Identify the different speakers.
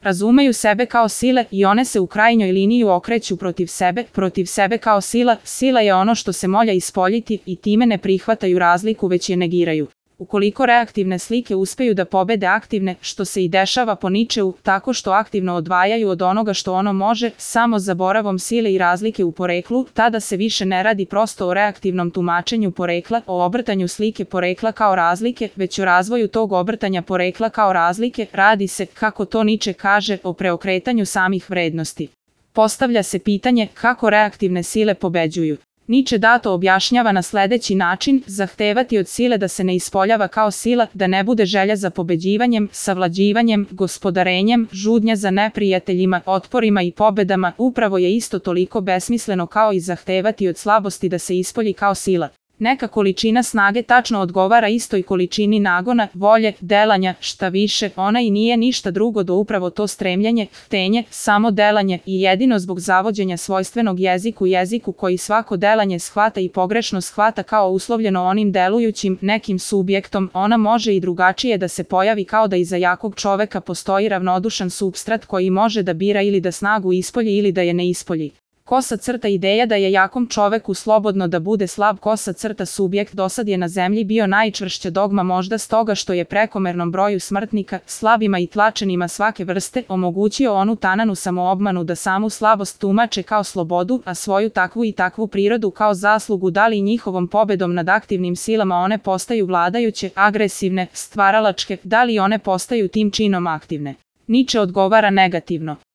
Speaker 1: Razumeju sebe kao sile i one se u krajnjoj liniji okreću protiv sebe kao sila. Sila je ono što se molja ispoljiti i time ne prihvataju razliku već je negiraju. Ukoliko reaktivne slike uspeju da pobede aktivne, što se i dešava po Ničeu, tako što aktivno odvajaju od onoga što ono može, samo zaboravom sile i razlike u poreklu, tada se više ne radi prosto o reaktivnom tumačenju porekla, o obrtanju slike porekla kao razlike, već o razvoju tog obrtanja porekla kao razlike, radi se, kako to Niče kaže, o preokretanju samih vrednosti. Postavlja se pitanje kako reaktivne sile pobeđuju. Niče dato objašnjava na sledeći način: zahtevati od sile da se ne ispoljava kao sila, da ne bude želja za pobeđivanjem, savlađivanjem, gospodarenjem, žudnja za neprijateljima, otporima i pobedama, upravo je isto toliko besmisleno kao i zahtevati od slabosti da se ispolji kao sila. Neka količina snage tačno odgovara istoj količini nagona, volje, delanja, šta više, ona i nije ništa drugo do upravo to stremljenje, htenje, samo delanje i jedino zbog zavođenja svojstvenog jeziku koji svako delanje shvata i pogrešno shvata kao uslovljeno onim delujućim, nekim subjektom, ona može i drugačije da se pojavi kao da iza jakog čoveka postoji ravnodušan supstrat koji može da bira ili da snagu ispolji ili da je ne ispolji. Kosa crta ideja da je jakom čoveku slobodno da bude slab. Kosa crta subjekt dosad je na zemlji bio najčvršća dogma, možda stoga što je prekomernom broju smrtnika, slabima i tlačenima svake vrste, omogućio onu tananu samoobmanu da samu slabost tumače kao slobodu, a svoju takvu i takvu prirodu kao zaslugu, da li njihovom pobedom nad aktivnim silama one postaju vladajuće, agresivne, stvaralačke, da li one postaju tim činom aktivne. Niče odgovara negativno.